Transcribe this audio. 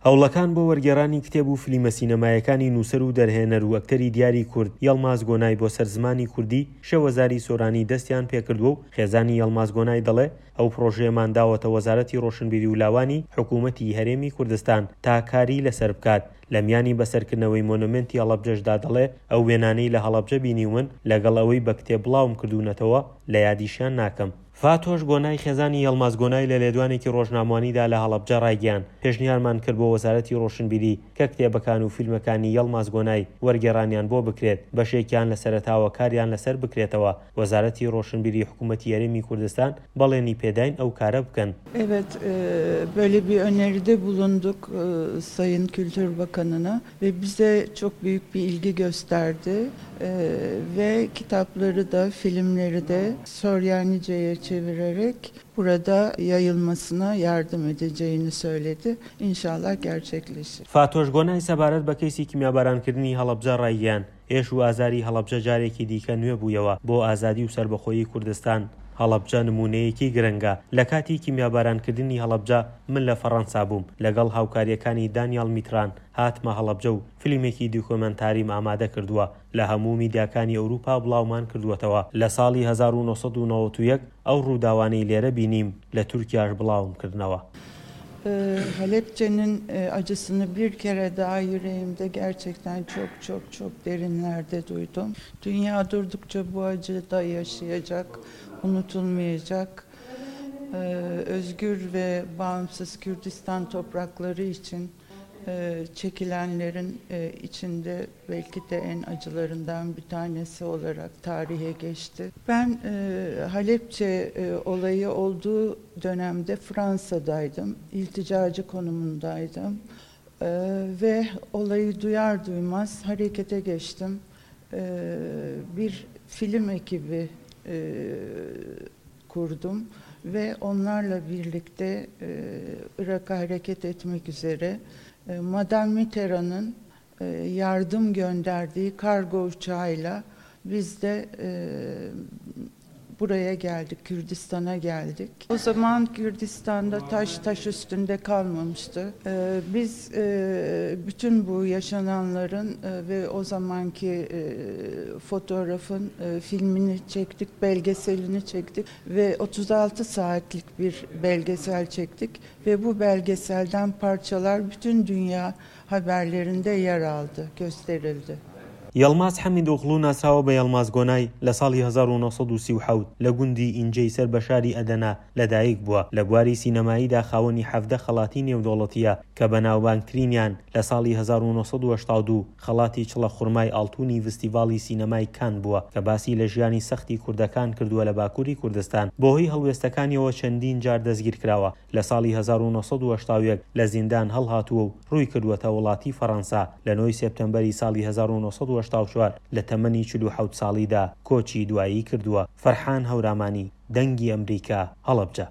هەوڵەکان بۆ وەرگێڕانی کتێب و فلیمە سینەمایەکانی نووسەر و دەرهێنەر و ئەکتەری دیاری کورد یەڵماز گۆنای بۆ سەر زمانی کوردی شێوەزاری سۆرانی دەستیان پێکردووە و خێزانی یەڵماز گۆنای دەڵێ ئەو پڕۆژەیەمان داوەتە وەزارەتی ڕۆشنبیری و لاوانی حکوومەتی هەرێمی کوردستان تا کاری لەسەر بکات. لە میانی بەسەرکردنەوەی مۆنۆمێنتی هەڵەبجەشدا دەڵێ ئەو وێنانەی لە هەڵەبجە بینیومن لەگەڵ ئەوەی بە کتێب بڵاوم کردوونەتەوە لە یادیشیان ناکەم. فاتۆش گۆنای خێزانی یەڵماز گۆنای لە لێدوانێکی ڕۆژنامەوانیدا لە هەڵەبجە ڕایگەیاند، پێشنیارمان کرد بۆ وەزارەتی ڕۆشنبیری کە کتێبەکان و فیلمەکانی یەڵماز گۆنای وەرگێڕانیان بۆ بکرێت، بەشێکیان لە سەرەتاوە کاریان لەسەر بکرێتەوە، وەزارەتی ڕۆشنبیری حکومەتی هەرێمی کوردستان بەڵێنی پێداین ئەو کارە بکەن. Evet, böyle bir öneride bulunduk Sayın Kültür Bakanına ve bize çok büyük bir ilgi gösterdi ve kitapları da filmleri de Soryanice'ye çevirerek burada yayılmasına yardım edeceğini söyledi. İnşallah gerçekleşir. فاتۆش گۆنای سەبارەت بە کەیسی کیمیابارانکردنی هەڵەبجە ڕایگەیاند، ئێش و ئازاری هەڵەبجە جارێکی دیکە نوێ بوویەوە بۆ ئازادی و سەربەخۆیی کوردستان، هەڵەبجە نموونەیەکی گرنگە، لە کاتی کیمیابارانکردنی هەڵەبجە من لە فەڕەنسا بووم، لەگەڵ هاوکارییەکانی دانیاڵ میتران هاتمە هەڵەبجە و فلیمێکی دیکۆمێنتاریم ئامادە کردووە، لە هەموو میدیاکانی ئەوروپا بڵاومان کردووەتەوە، لە ساڵی 1991 ئەو ڕووداوانەی لێرە بینیم لە تورکیاش بڵاوم کردنەوە. Halepçe'nin acısını bir kere daha yüreğimde gerçekten çok çok çok derinlerde duydum. Dünya durdukça bu acı da yaşayacak, unutulmayacak. Özgür ve bağımsız Kürdistan toprakları için çekilenlerin içinde belki de en acılarından bir tanesi olarak tarihe geçti. Ben Halepçe olayı olduğu dönemde Fransa'daydım, ilticacı konumundaydım ve olayı duyar duymaz harekete geçtim. Bir film ekibi kurdum ve onlarla birlikte Irak'a hareket etmek üzere Madame Mitterrand'ın yardım gönderdiği kargo uçağıyla biz de buraya geldik, Kürdistan'a geldik. O zaman Kürdistan'da taş taş üstünde kalmamıştı. Biz bütün bu yaşananların ve o zamanki fotoğrafın filmini çektik, belgeselini çektik ve 36 saatlik bir belgesel çektik ve bu belgeselden parçalar bütün dünya haberlerinde yer aldı, gösterildi. یەڵماز حەمیدئۆغڵو ناسراوە بە یەڵماز گۆنای، لە ساڵی 1937 لە گوندی ئینجەی سەر بە شاری ئەدەنە لەدایک بووە، لە بواری سینەماییدا خاوەنی 17 خەڵاتی نێودەوڵەتییە کە بەناوبانگترینیان لە ساڵی 1982 خەڵاتی چڵە خورمای ئاڵتوونی ڤستیڤاڵی سینەمای کان بووە کە باسی لە ژیانی سەختی کوردەکان کردووە لە باکووری کوردستان، بەهۆی هەڵوێستەکانیەوە چەندین جار دەستگیرکراوە. لە ساڵی 1981 لە زیندان هەڵهاتووە و ڕووی کردووەتە وڵاتی فەڕەنسا، لە نۆی سێپتەمبەری ساڵی 1984 لە تەمەنی 47 ساڵیدا کۆچی دوایی کردووە. فەرحان هەورامانی، دەنگی ئەمریکا، هەڵەبجە.